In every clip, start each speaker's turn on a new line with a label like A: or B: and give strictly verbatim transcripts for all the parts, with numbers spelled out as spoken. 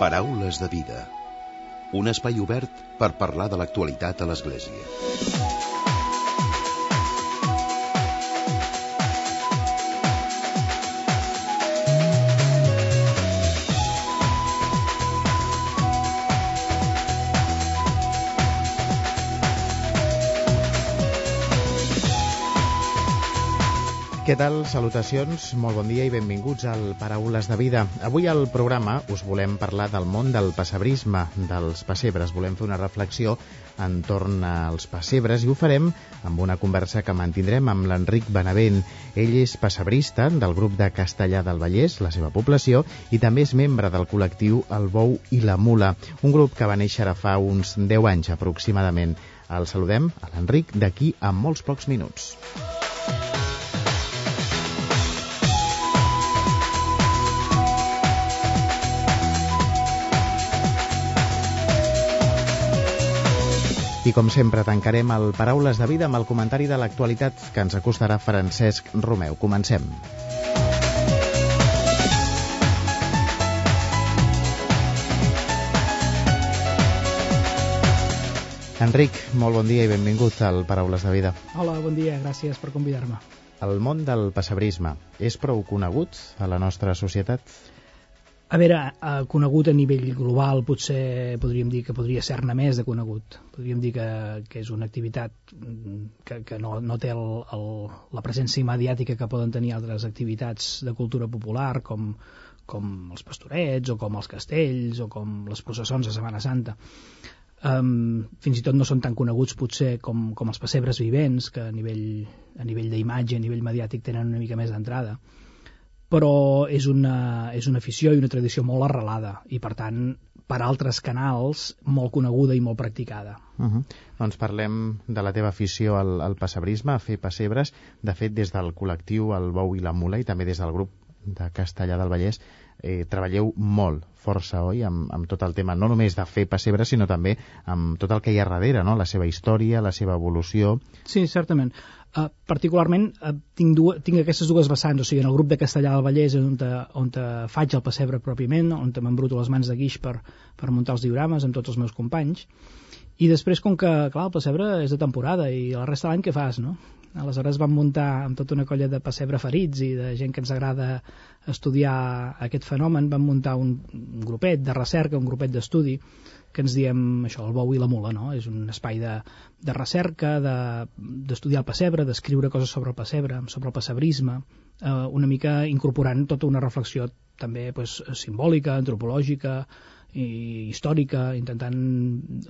A: Paraules de vida. Un espai obert per parlar de l'actualitat a l'Església.
B: Què tal? Salutacions, molt bon dia i benvinguts al Paraules de Vida. Avui al programa us volem parlar del món del pessebrisme, dels pessebres. Volem fer una reflexió entorn als pessebres i ho farem amb una conversa que mantindrem amb l'Enric Benavent. Ell és pessebrista del grup de Castellar del Vallès, la seva població, i també és membre del col·lectiu El Bou i la Mula, un grup que va néixer ara fa uns deu anys aproximadament. El saludem a l'Enric d'aquí a molts pocs minuts. I com sempre tancarem el Paraules de Vida amb el comentari de l'actualitat que ens acostarà Francesc Romeu. Comencem. Enric, molt bon dia i benvingut al Paraules de Vida.
C: Hola, bon dia, gràcies per convidar-me.
B: El món del pessebrisme és prou conegut a la nostra societat?
C: A veure, conegut a nivell global, potser podríem dir que podria ser-ne més de conegut. Podríem dir que, que és una activitat que, que no, no té el, el, la presència mediàtica que poden tenir altres activitats de cultura popular, com, com els pastorets, o com els castells, o com les processons de Setmana Santa. Um, fins i tot no són tan coneguts potser com, com els pessebres vivents, que a nivell, a nivell d'imatge, a nivell mediàtic tenen una mica més d'entrada. Però és una, és una afició i una tradició molt arrelada i, per tant, per altres canals, molt coneguda i molt practicada.
B: Uh-huh. Doncs parlem de la teva afició al, al pessebrisme, a fer pessebres. De fet, des del col·lectiu El Bou i la Mula i també des del grup de Castellar del Vallès, eh, treballeu molt, força, oi, amb, amb tot el tema, no només de fer pessebres, sinó també amb tot el que hi ha darrere, no? La seva història, la seva evolució.
C: Sí, certament. Uh, particularment uh, tinc, dues, tinc aquestes dues vessants, o sigui, en el grup de Castellar del Vallès on, te, on te faig el pessebre pròpiament, on te m'embruto les mans de guix per, per muntar els diorames amb tots els meus companys, i després, com que, clar, el pessebre és de temporada i la resta de l'any què fas, no? Aleshores vam muntar amb tota una colla de pessebre ferits i de gent que ens agrada estudiar aquest fenomen, vam muntar un, un grupet de recerca, un grupet d'estudi, que ens diem això, el bou i la mula, no? És un espai de, de recerca, d'estudiar de, el pessebre, d'escriure coses sobre el pessebre, sobre el pessebrisme, eh, una mica incorporant tota una reflexió també pues, simbòlica, antropològica i històrica, intentant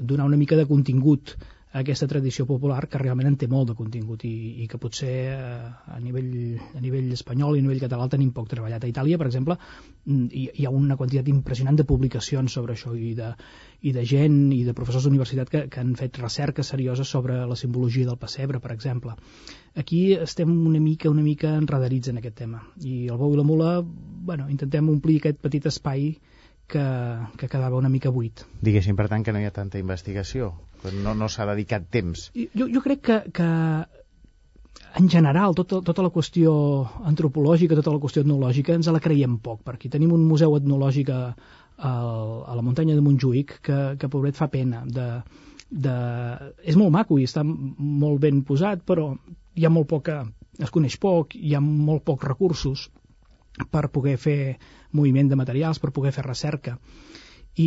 C: donar una mica de contingut a aquesta tradició popular que realment en té molt de contingut i, i que potser eh, a, nivell, a nivell espanyol i a nivell català el tenim poc treballat. A Itàlia, per exemple, hi, hi ha una quantitat impressionant de publicacions sobre això i de, i de gent i de professors d'universitat que, que han fet recerca seriosa sobre la simbologia del pessebre, per exemple. Aquí estem una mica una mica enredarits en aquest tema i el bou i la mula, bueno, intentem omplir aquest petit espai que, que quedava una mica buit.
B: Diguéssim, per tant, que no hi ha tanta investigació, que no, no s'ha dedicat temps.
C: Jo, jo crec que, que en general tota, tota la qüestió antropològica, tota la qüestió etnològica ens la creiem poc, perquè tenim un museu etnològic a, a, a la muntanya de Montjuïc que, que pobret fa pena. De, de... És molt maco i està molt ben posat, però hi ha molt poca, es coneix poc, hi ha molt pocs recursos per poder fer moviment de materials, per poder fer recerca. I,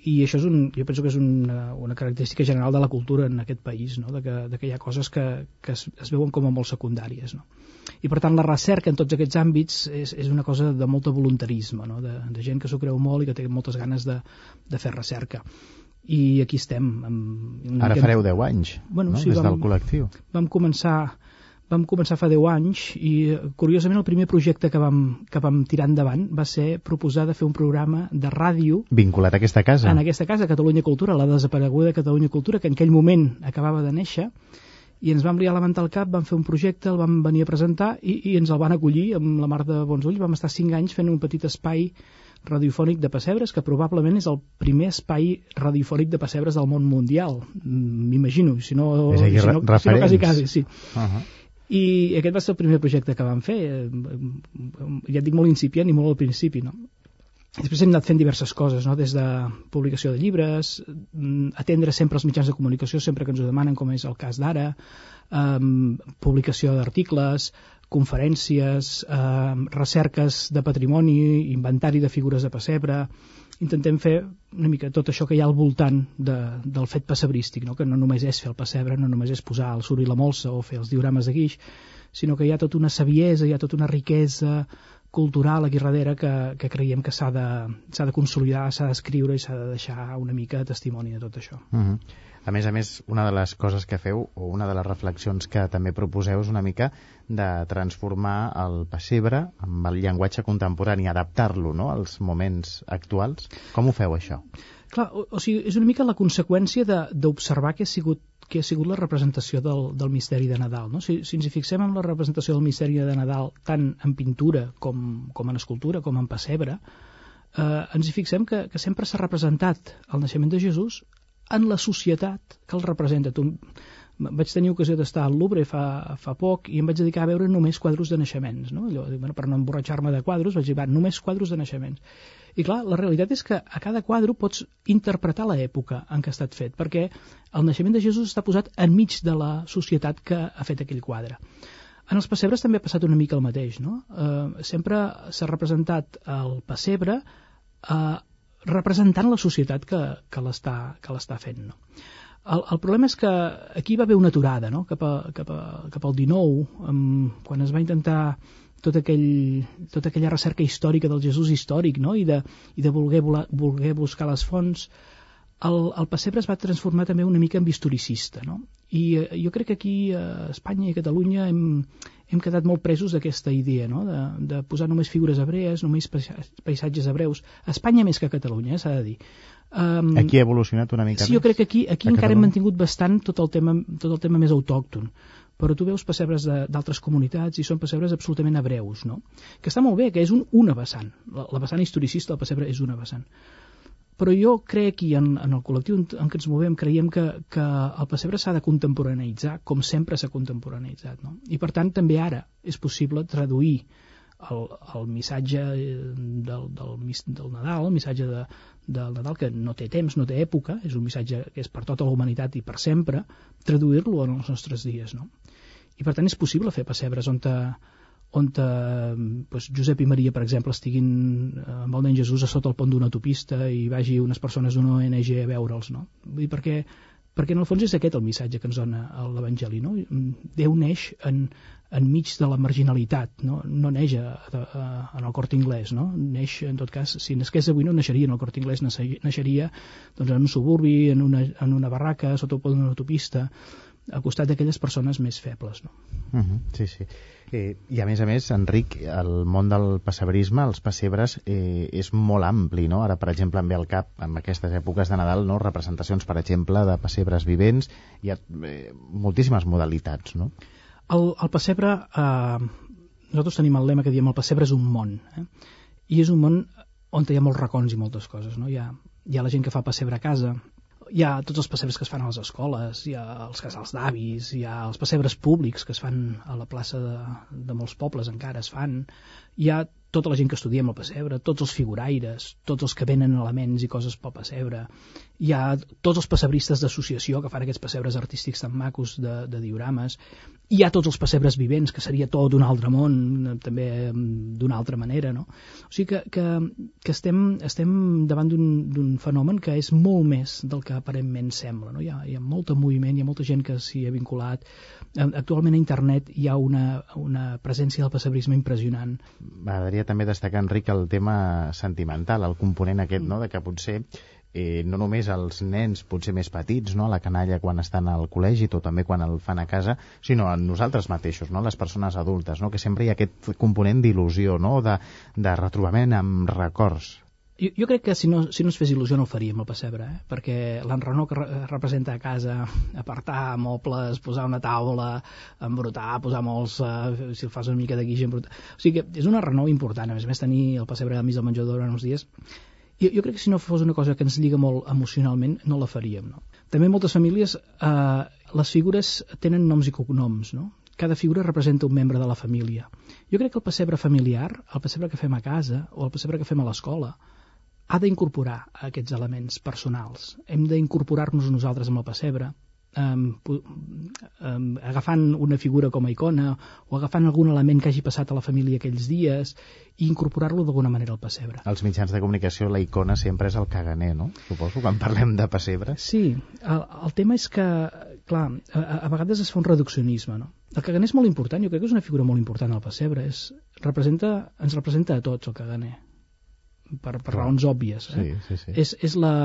C: i això és un, jo penso que és una, una característica general de la cultura en aquest país, no? de, que, de que hi ha coses que, que es, es veuen com a molt secundàries. No? I per tant la recerca en tots aquests àmbits és, és una cosa de molt voluntarisme, no? de, de gent que s'ho creu molt i que té moltes ganes de, de fer recerca. I aquí estem. Amb,
B: Ara fareu deu anys,
C: bueno,
B: no?
C: Sí,
B: des
C: vam,
B: del col·lectiu.
C: Vam començar... Vam començar fa deu anys i, curiosament, el primer projecte que vam, que vam tirar endavant va ser proposar de fer un programa de ràdio...
B: Vinculat a aquesta casa.
C: En aquesta casa, Catalunya Cultura, la desapareguda Catalunya Cultura, que en aquell moment acabava de néixer, i ens vam liar la manta al cap, vam fer un projecte, el vam venir a presentar i, i ens el van acollir amb la mar de bons ulls. Vam estar cinc anys fent un petit espai radiofònic de pessebres, que probablement és el primer espai radiofònic de pessebres del món mundial, m'imagino, si no,
B: és aquí,
C: si no, si no quasi, quasi, sí.
B: Uh-huh.
C: I aquest va ser el primer projecte que vam fer, ja et dic molt incipient i molt al principi, no? Després hem anat fent diverses coses, no? Des de publicació de llibres, atendre sempre els mitjans de comunicació, sempre que ens ho demanen, com és el cas d'ara, eh, publicació d'articles, conferències, eh, recerques de patrimoni, inventari de figures de pessebre. Intentem fer una mica tot això que hi ha al voltant de, del fet pessebrístic, no? Que no només és fer el pessebre, no només és posar el suro i la molsa o fer els diorames de guix, sinó que hi ha tota una saviesa, hi ha tota una riquesa cultural aquí darrere que, que creiem que s'ha de, s'ha de consolidar, s'ha d'escriure i s'ha de deixar una mica de testimoni de tot això.
B: Uh-huh. A més a més, una de les coses que feu, o una de les reflexions que també proposeu, és una mica de transformar el pessebre amb el llenguatge contemporani, adaptar-lo, no?, als moments actuals. Com ho feu, això?
C: Clar, o, o sigui, és una mica la conseqüència d'observar que ha sigut que ha sigut la representació del, del misteri de Nadal. No? Si, si ens hi fixem en la representació del misteri de Nadal tant en pintura com, com en escultura, com en pessebre, eh, ens hi fixem que, que sempre s'ha representat el naixement de Jesús en la societat que el representa. Tu, vaig tenir ocasió d'estar al Louvre fa, fa poc i em vaig dedicar a veure només quadros de naixements. No? Allò, bueno, per no emborratxar-me de quadros, vaig dir, va, només quadros de naixements. I clar, la realitat és que a cada quadre pots interpretar l'època en què ha estat fet, perquè el naixement de Jesús està posat enmig de la societat que ha fet aquell quadre. En els pessebres també ha passat una mica el mateix, no? Eh, sempre s'ha representat el pessebre eh, representant la societat que, que l'està que l'està fent, no? El, el problema és que aquí va haver una aturada, no? Cap, a, cap, a, cap al dinou, um, quan es va intentar tot aquell, tota aquella recerca històrica del Jesús històric, no? I de, i de voler, voler buscar les fonts, el, el pessebre es va transformar també una mica en historicista, no? I eh, jo crec que aquí a Espanya i a Catalunya hem, hem quedat molt presos d'aquesta idea, no? De, de posar només figures hebrees, només paisatges hebreus. A Espanya més que a Catalunya, eh, s'ha de dir. Um,
B: aquí ha evolucionat una mica
C: sí,
B: més?
C: Sí, jo crec que aquí, aquí encara hem mantingut bastant tot el tema, tot el tema més autòcton. Però tu veus pessebres d'altres comunitats i són pessebres absolutament hebreus, no? Que està molt bé, que és un, una vessant. La, la vessant historicista del pessebre és una vessant. Però jo crec, i en, en el col·lectiu en, en què ens movem, creiem que, que el pessebre s'ha de contemporaneïtzar, com sempre s'ha contemporaneïtzat, no? I per tant també ara és possible traduir el, el missatge del, del, del Nadal, el missatge de, del Nadal, que no té temps, no té època, és un missatge que és per tota la humanitat i per sempre, traduir-lo en els nostres dies, no? I per tant és possible fer pessebres on, te, on te, doncs, Josep i Maria, per exemple, estiguin amb el nen Jesús a sota el pont d'una autopista i vagi unes persones d'una O N G a veure'ls, no? Vull dir, perquè, perquè en el fons és aquest el missatge que ens dona l'Evangeli, no? Déu neix en, enmig de la marginalitat, no, no neix a, a, en el Corte Inglés, no? Neix, en tot cas, si nasqués avui no naixeria en el Corte Inglés, naixeria doncs, en un suburbi, en una, en una barraca, sota el pont d'una autopista, al costat d'aquelles persones més febles, no?
B: Uh-huh, sí, sí. Eh, I a més a més, Enric, el món del pessebrisme, els pessebres, eh, és molt ampli, no? Ara, per exemple, em ve al cap, en aquestes èpoques de Nadal, no? Representacions, per exemple, de pessebres vivents, hi ha eh, moltíssimes modalitats, no?
C: El, el pessebre, eh, nosaltres tenim el lema que diem el pessebre és un món, eh? I és un món on hi ha molts racons i moltes coses, no? Hi ha, hi ha la gent que fa pessebre a casa, hi ha tots els pessebres que es fan a les escoles, hi ha els casals d'avis, hi ha els pessebres públics que es fan a la plaça de, de molts pobles, encara es fan, hi ha tota la gent que estudiem el pessebre, tots els figuraires, tots els que venen elements i coses pel pessebre, hi ha tots els pessebristes d'associació que fan aquests pessebres artístics tan macos de, de diorames, hi ha tots els pessebres vivents, que seria tot un altre món, també d'una altra manera, no? O sigui que, que, que estem, estem davant d'un fenomen que és molt més del que aparentment sembla, no? Hi ha, hi ha molt moviment, hi ha molta gent que s'hi ha vinculat. Actualment a internet hi ha una, una presència del pessebrisme impressionant.
B: M'agradaria també destacar, Enric, el tema sentimental, el component aquest, no?, de que potser eh, no només els nens potser més petits, no?, a la canalla quan estan al col·legi o també quan el fan a casa, sinó a nosaltres mateixos, no?, les persones adultes, no?, que sempre hi ha aquest component d'il·lusió, no?, de, de retrobament amb records.
C: Jo, jo crec que si no, si no es fes il·lusió no ho faríem el pessebre, eh? Perquè l'enrenor que re representa a casa, apartar mobles, posar una taula, embrutar, posar molts, eh, si el fas una mica de guix, embrutar... O sigui que és un enrenor important, a més a més tenir el pessebre al mig del menjador durant uns dies. Jo, jo crec que si no fos una cosa que ens lliga molt emocionalment, no la faríem, no? També en moltes famílies eh, les figures tenen noms i cognoms, no? Cada figura representa un membre de la família. Jo crec que el pessebre familiar, el pessebre que fem a casa o el pessebre que fem a l'escola, ha d'incorporar aquests elements personals. Hem d'incorporar-nos nosaltres amb el pessebre, Um, um, agafant una figura com a icona o agafant algun element que hagi passat a la família aquells dies i incorporar-lo d'alguna manera al pessebre.
B: Als mitjans de comunicació la icona sempre és el caganer, no? Suposo, quan parlem de pessebre.
C: Sí, el, el tema és que, clar, a, a vegades es fa un reduccionisme, no? El caganer és molt important, jo crec que és una figura molt important al pessebre, és, representa, ens representa a tots el caganer, per, per raons òbvies. Eh?
B: Sí, sí, sí.
C: És, és la...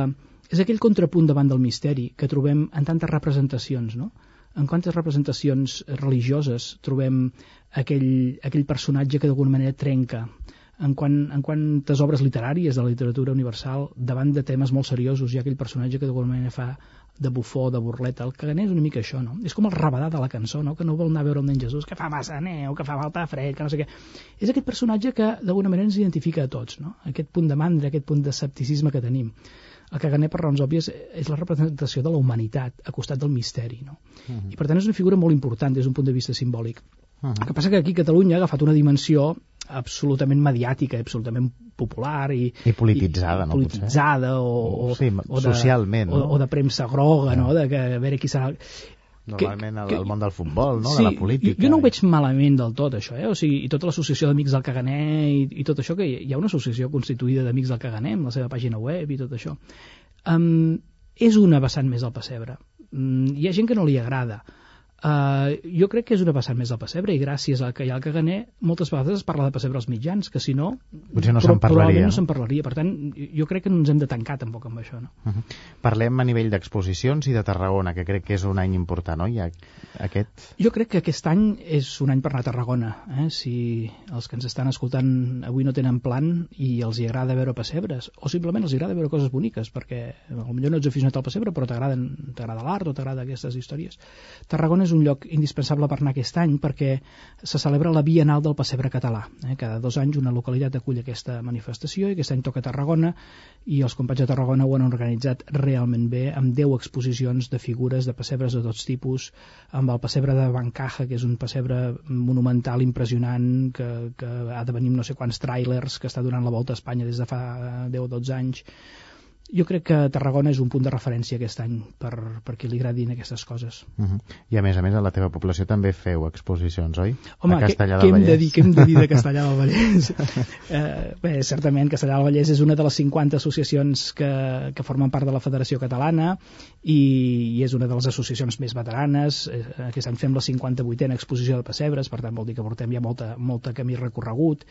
C: És aquell contrapunt davant del misteri que trobem en tantes representacions, no? En quantes representacions religioses trobem aquell, aquell personatge que d'alguna manera trenca, en, quan, en quantes obres literàries de la literatura universal davant de temes molt seriosos hi ha aquell personatge que d'alguna manera fa de bufó, de burleta. El caganer és una mica això, no? És com el rabadà de la cançó, no? Que no vol anar a veure el nen Jesús, que fa massa neu, que fa falta fred, que no sé què. És aquest personatge que d'alguna manera ens identifica a tots, no? Aquest punt de mandra, aquest punt d'escepticisme que tenim. El caganer, per raons òbvies, és la representació de la humanitat a costat del misteri, no? Uh -huh. I per tant és una figura molt important des d'un punt de vista simbòlic. Uh -huh. El que passa que aquí Catalunya ha agafat una dimensió absolutament mediàtica, absolutament popular i,
B: I polititzada,
C: i,
B: no?
C: Polititzada o, o,
B: sí,
C: o de,
B: socialment, no?
C: O, o de premsa groga, no? De que a veure qui serà...
B: Normalment
C: que,
B: el, el món del futbol, no?
C: Sí,
B: de la política.
C: Jo, jo no ho veig malament del tot, això, eh? O sigui, i tota l'associació d'Amics del Caganer i, i tot això, que hi ha una associació constituïda d'Amics del Caganer amb la seva pàgina web i tot això. Um, és una vessant més del pessebre. Um, hi ha gent que no li agrada. Uh, jo crec que és una vessant més del pessebre i gràcies a que hi ha el caganer moltes vegades es parla de pessebre als mitjans, que si no
B: potser no se'n parlaria,
C: no se'n parlaria. Per tant, jo crec que no ens hem de tancar tampoc amb això, no?
B: Uh -huh. Parlem a nivell d'exposicions i de Tarragona, que crec que és un any important, no? Ja, aquest...
C: Jo crec que aquest any és un any per anar a Tarragona, eh? Si els que ens estan escoltant avui no tenen plan i els hi agrada veure pessebres, o simplement els agrada veure coses boniques, perquè potser no ets aficionat al pessebre però t'agrada l'art o t'agrada aquestes històries. Tarragona és un lloc indispensable per anar aquest any perquè se celebra la Bienal del Pessebre Català. Eh? Cada dos anys una localitat acull aquesta manifestació i aquest any toca Tarragona i els companys de Tarragona ho han organitzat realment bé amb deu exposicions de figures de pessebres de tots tipus, amb el pessebre de Bancaja, que és un pessebre monumental impressionant que, que ha de venir no sé quants tràilers, que està donant la volta a Espanya des de fa deu o dotze anys. Jo crec que Tarragona és un punt de referència aquest any per, per qui li agradin aquestes coses.
B: Uh -huh. I a més a més a la teva població també feu exposicions, oi?
C: Home, què hem de dir, què hem de dir de Castellar del Vallès? eh, bé, certament Castellar del Vallès és una de les cinquanta associacions que, que formen part de la Federació Catalana i, i és una de les associacions més veteranes. Eh, aquest any fem la cinquanta-vuitena exposició de pessebres, per tant vol dir que portem ja molta, molta camí recorregut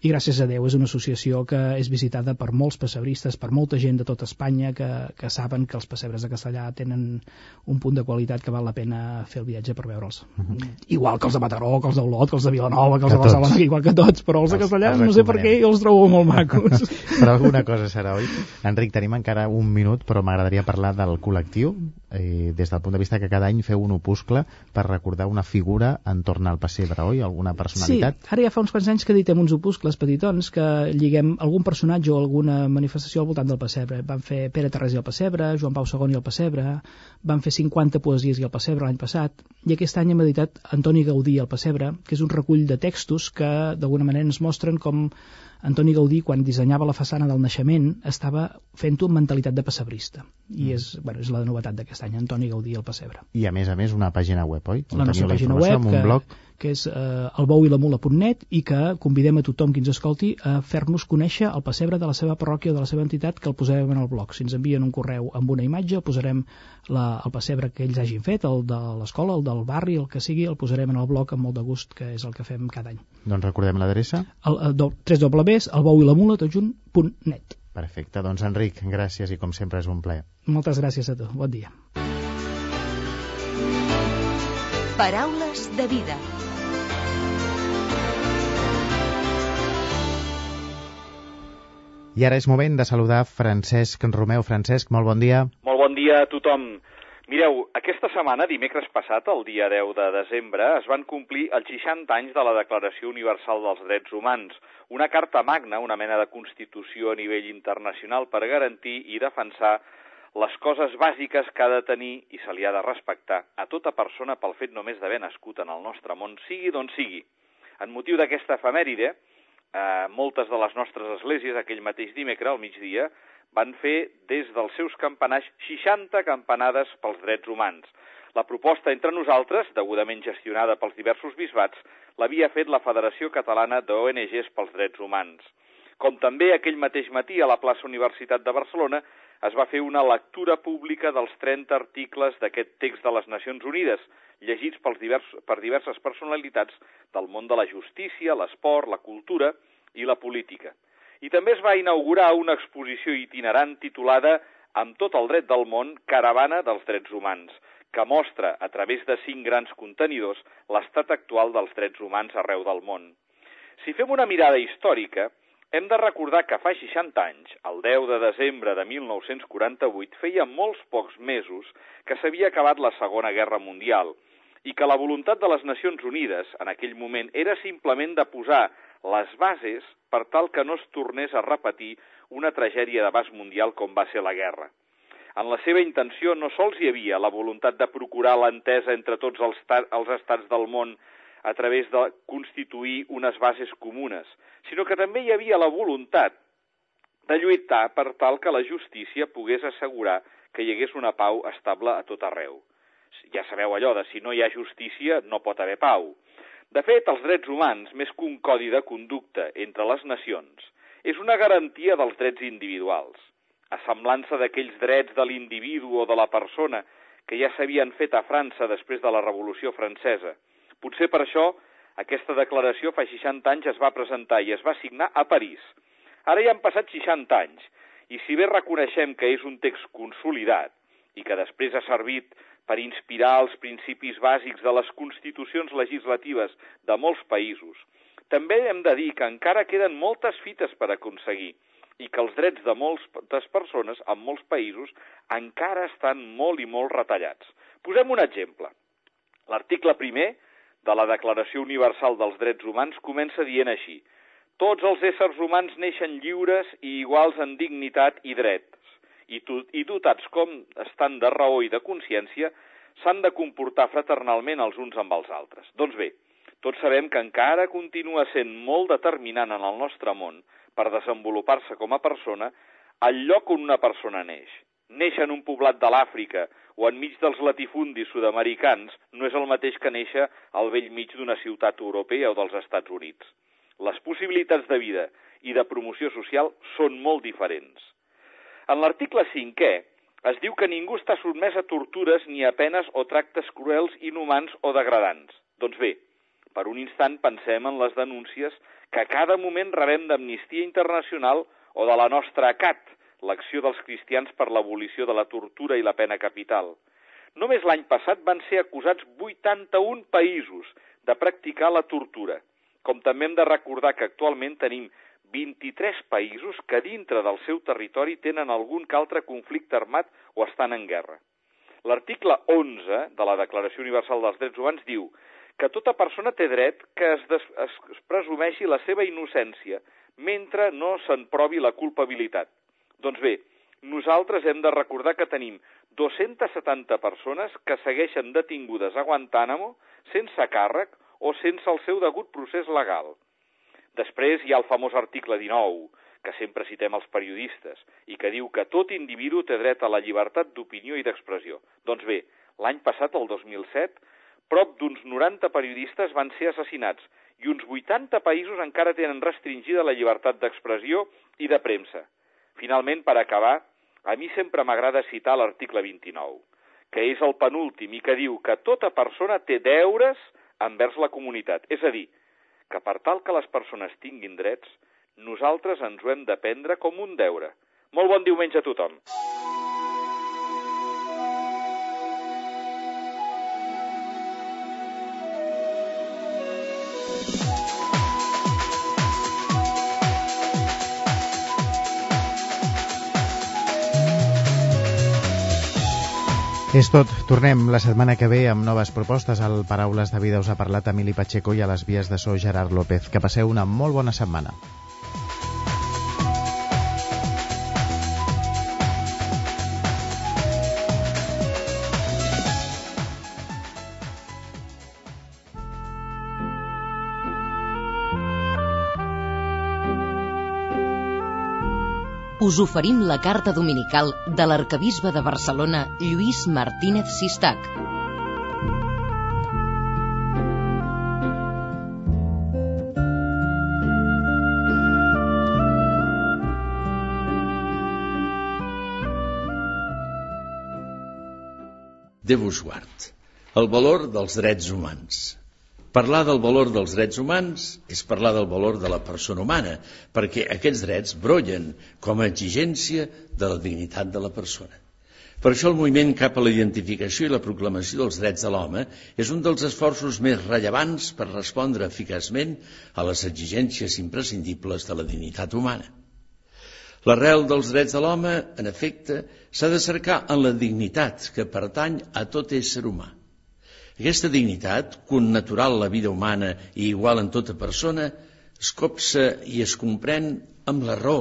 C: i gràcies a Déu és una associació que és visitada per molts pessebristes, per molta gent de tot Espanya que, que saben que els pessebres de Castellar tenen un punt de qualitat que val la pena fer el viatge per veure'ls. Uh -huh. Igual que els de Mataró, que els d'Olot, que els de Vilanova, que els que de Barcelona, que igual que tots, però els de Castellar no sé per què els trobo molt macos.
B: Però alguna cosa serà, oi? Enric, tenim encara un minut, però m'agradaria parlar del col·lectiu, eh, des del punt de vista que cada any feu un opuscle per recordar una figura entorn al pessebre, oi? Alguna personalitat?
C: Sí, ara ja fa uns quants anys que editem uns opuscles petitons que lliguem algun personatge o alguna manifestació al voltant del pessebre. Van fer Pere Tarrés i el pessebre, Joan Pau segon i el pessebre, van fer cinquanta poesies i el pessebre l'any passat, i aquest any hem editat Antoni Gaudí i el pessebre, que és un recull de textos que d'alguna manera ens mostren com Antoni Gaudí, quan dissenyava la façana del naixement, estava fent-ho amb mentalitat de pessebrista. I mm. és, bueno, és la novetat d'aquest any, Antoni Gaudí i el pessebre.
B: I a més a més una pàgina web, oi?
C: La nostra pàgina web, que, blog. que és eh, el bou i la mula punt net i que convidem a tothom que ens escolti a fer-nos conèixer el pessebre de la seva parròquia o de la seva entitat, que el posarem en el blog. Si ens envien un correu amb una imatge, posarem la, el pessebre que ells hagin fet, el de l'escola, el del barri, el que sigui, el posarem en el blog amb molt de gust, que és el que fem cada any.
B: Doncs recordem l'adreça.
C: El, el, el tres doble u el bou i la mula tot junt punt net.
B: Perfecte, doncs Enric, gràcies i com sempre és un plaer.
C: Moltes gràcies a tu, bon dia.
D: Paraules de vida.
B: I ara és moment de saludar Francesc Romeu. Francesc, molt bon dia.
E: Molt bon dia a tothom. Mireu, aquesta setmana, dimecres passat, el dia deu de desembre, es van complir els seixanta anys de la Declaració Universal dels Drets Humans, una carta magna, una mena de constitució a nivell internacional per garantir i defensar les coses bàsiques que ha de tenir i se li ha de respectar a tota persona pel fet només d'haver nascut en el nostre món, sigui d'on sigui. En motiu d'aquesta efemèride, eh, moltes de les nostres esglésies, aquell mateix dimecres, al migdia, van fer des dels seus campanars seixanta campanades pels drets humans. La proposta entre nosaltres, degudament gestionada pels diversos bisbats, l'havia fet la Federació Catalana d'O N Ges pels Drets Humans. Com també aquell mateix matí a la plaça Universitat de Barcelona es va fer una lectura pública dels trenta articles d'aquest text de les Nacions Unides, llegits pels divers, per diverses personalitats del món de la justícia, l'esport, la cultura i la política. I també es va inaugurar una exposició itinerant titulada Amb tot el dret del món, Caravana dels Drets Humans, que mostra, a través de cinc grans contenidors, l'estat actual dels drets humans arreu del món. Si fem una mirada històrica, hem de recordar que fa seixanta anys, el deu de desembre de mil nou-cents quaranta-vuit, feia molts pocs mesos que s'havia acabat la Segona Guerra Mundial i que la voluntat de les Nacions Unides en aquell moment era simplement de posar les bases per tal que no es tornés a repetir una tragèdia d'abast mundial com va ser la guerra. En la seva intenció no sols hi havia la voluntat de procurar l'entesa entre tots els, els estats del món a través de constituir unes bases comunes, sinó que també hi havia la voluntat de lluitar per tal que la justícia pogués assegurar que hi hagués una pau estable a tot arreu. Ja sabeu allò de si no hi ha justícia no pot haver pau. De fet, els drets humans, més que un codi de conducta entre les nacions, és una garantia dels drets individuals, a semblança d'aquells drets de l'individu o de la persona que ja s'havien fet a França després de la Revolució Francesa. Potser per això aquesta declaració fa seixanta anys es va presentar i es va signar a París. Ara ja han passat seixanta anys, i si bé reconeixem que és un text consolidat i que després ha servit per inspirar els principis bàsics de les constitucions legislatives de molts països, també hem de dir que encara queden moltes fites per aconseguir i que els drets de moltes persones en molts països encara estan molt i molt retallats. Posem un exemple. L'article primer de la Declaració Universal dels Drets Humans comença dient així: tots els éssers humans neixen lliures i iguals en dignitat i drets, i, i dotats com estan de raó i de consciència, s'han de comportar fraternalment els uns amb els altres. Doncs bé, tots sabem que encara continua sent molt determinant en el nostre món per desenvolupar-se com a persona el lloc on una persona neix. Néixer en un poblat de l'Àfrica o enmig dels latifundis sud-americans no és el mateix que néixer al bell mig d'una ciutat europea o dels Estats Units. Les possibilitats de vida i de promoció social són molt diferents. En l'article cinquè es diu que ningú està sotmès a tortures ni a penes o tractes cruels, inhumans o degradants. Doncs bé, per un instant pensem en les denúncies que a cada moment rebem d'Amnistia Internacional o de la nostra A C A T, l'Acció dels Cristians per l'Abolició de la Tortura i la Pena Capital. Només l'any passat van ser acusats vuitanta-un països de practicar la tortura, com també hem de recordar que actualment tenim vint-i-tres països que dintre del seu territori tenen algun que altre conflicte armat o estan en guerra. L'article onze de la Declaració Universal dels Drets Humans diu que tota persona té dret que es, des, es presumeixi la seva innocència mentre no se'n provi la culpabilitat. Doncs bé, nosaltres hem de recordar que tenim dos-centes setanta persones que segueixen detingudes a Guantánamo sense càrrec o sense el seu degut procés legal. Després hi ha el famós article dinou, que sempre citem els periodistes, i que diu que tot individu té dret a la llibertat d'opinió i d'expressió. Doncs bé, l'any passat, el dos mil set, prop d'uns noranta periodistes van ser assassinats i uns vuitanta països encara tenen restringida la llibertat d'expressió i de premsa. Finalment, per acabar, a mi sempre m'agrada citar l'article vint-i-nou, que és el penúltim i que diu que tota persona té deures envers la comunitat. És a dir, que per tal que les persones tinguin drets, nosaltres ens ho hem de prendre com un deure. Molt bon diumenge a tothom.
B: És tot. Tornem la setmana que ve amb noves propostes. Al Paraules de Vida us ha parlat Emili Pacheco i a les vies de so Gerard López. Que passeu una molt bona setmana.
D: us oferim la carta dominical de l'arquebisbe de Barcelona, Lluís Martínez Sistac.
F: Déu us guard. El valor dels drets humans. Parlar del valor dels drets humans és parlar del valor de la persona humana, perquè aquests drets brollen com a exigència de la dignitat de la persona. Per això el moviment cap a la identificació i la proclamació dels drets de l'home és un dels esforços més rellevants per respondre eficaçment a les exigències imprescindibles de la dignitat humana. L'arrel dels drets de l'home, en efecte, s'ha de cercar en la dignitat que pertany a tot ésser humà. Aquesta dignitat, connatural la vida humana i igual en tota persona, es copsa i es comprèn amb la raó.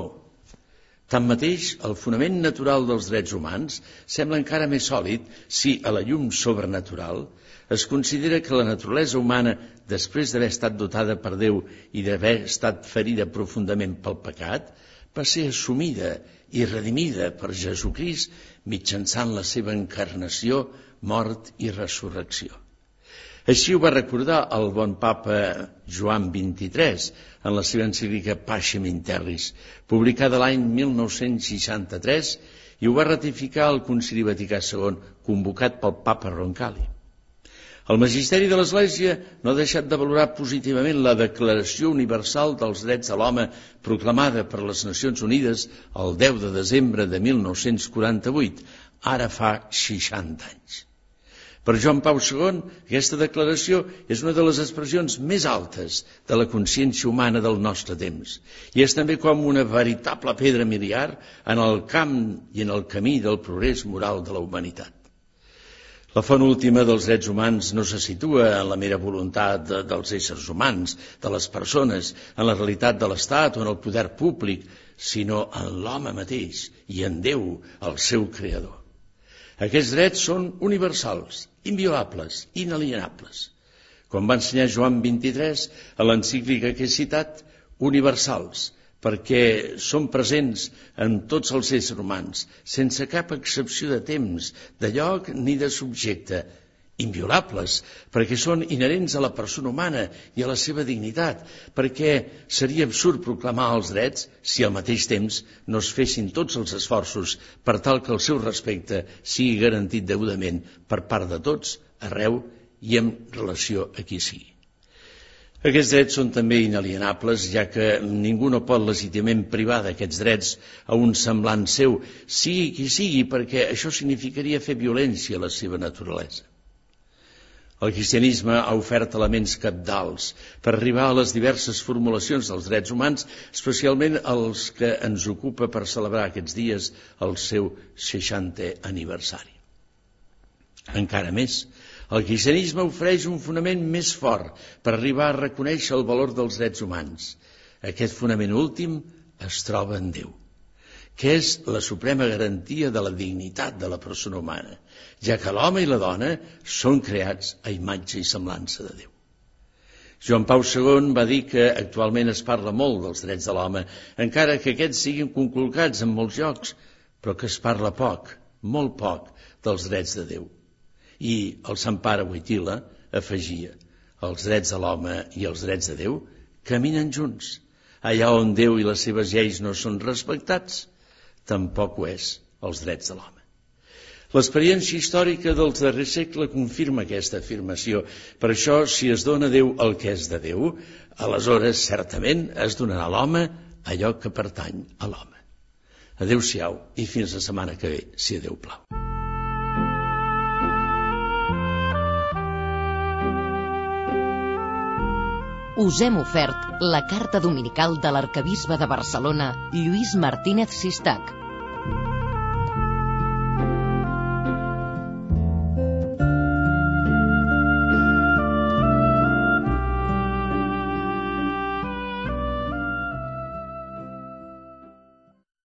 F: Tanmateix, el fonament natural dels drets humans sembla encara més sòlid si, a la llum sobrenatural, es considera que la naturalesa humana, després d'haver estat dotada per Déu i d'haver estat ferida profundament pel pecat, va ser assumida i redimida per Jesucrist mitjançant la seva encarnació, mort i resurrecció. Així ho va recordar el bon papa Joan vint-i-tres en la seva encíclica Pacem in Terris, publicada l'any mil nou-cents seixanta-tres, i ho va ratificar el Concili Vaticà segon, convocat pel papa Roncalli. El magisteri de l'Església no ha deixat de valorar positivament la Declaració Universal dels Drets de l'Home proclamada per les Nacions Unides el deu de desembre de mil nou-cents quaranta-vuit, ara fa seixanta anys. Per Joan Pau segon, aquesta declaració és una de les expressions més altes de la consciència humana del nostre temps i és també com una veritable pedra miliar en el camp i en el camí del progrés moral de la humanitat. La font última dels drets humans no se situa en la mera voluntat de, dels éssers humans, de les persones, en la realitat de l'Estat o en el poder públic, sinó en l'home mateix i en Déu, el seu creador. Aquests drets són universals, inviolables, inalienables. Com va ensenyar Joan vint-i-tres a l'encíclica que he citat, universals, perquè són presents en tots els éssers humans, sense cap excepció de temps, de lloc ni de subjecte, inviolables, perquè són inherents a la persona humana i a la seva dignitat, perquè seria absurd proclamar els drets si al mateix temps no es fessin tots els esforços per tal que el seu respecte sigui garantit degudament per part de tots, arreu i en relació a qui sigui. Aquests drets són també inalienables, ja que ningú no pot legítimament privar d'aquests drets a un semblant seu, sigui qui sigui, perquè això significaria fer violència a la seva naturalesa. El cristianisme ha ofert elements cabdals per arribar a les diverses formulacions dels drets humans, especialment els que ens ocupa per celebrar aquests dies el seu seixantè aniversari. Encara més, el cristianisme ofereix un fonament més fort per arribar a reconèixer el valor dels drets humans. Aquest fonament últim es troba en Déu, que és la suprema garantia de la dignitat de la persona humana, ja que l'home i la dona són creats a imatge i semblança de Déu. Joan Pau segon va dir que actualment es parla molt dels drets de l'home, encara que aquests siguin conculcats en molts llocs, però que es parla poc, molt poc, dels drets de Déu. I el Sant Pare Wojtyla afegia: els drets de l'home i els drets de Déu caminen junts. Allà on Déu i les seves lleis no són respectats, tampoc ho és els drets de l'home. L'experiència històrica dels darrers segles confirma aquesta afirmació. Per això, si es dona a Déu el que és de Déu, aleshores certament es donarà a l'home allò que pertany a l'home. Adéu-siau i fins la setmana que ve, si a Déu plau.
D: Us hem ofert la carta dominical de l'arquebisbe de Barcelona, Lluís Martínez Sistac.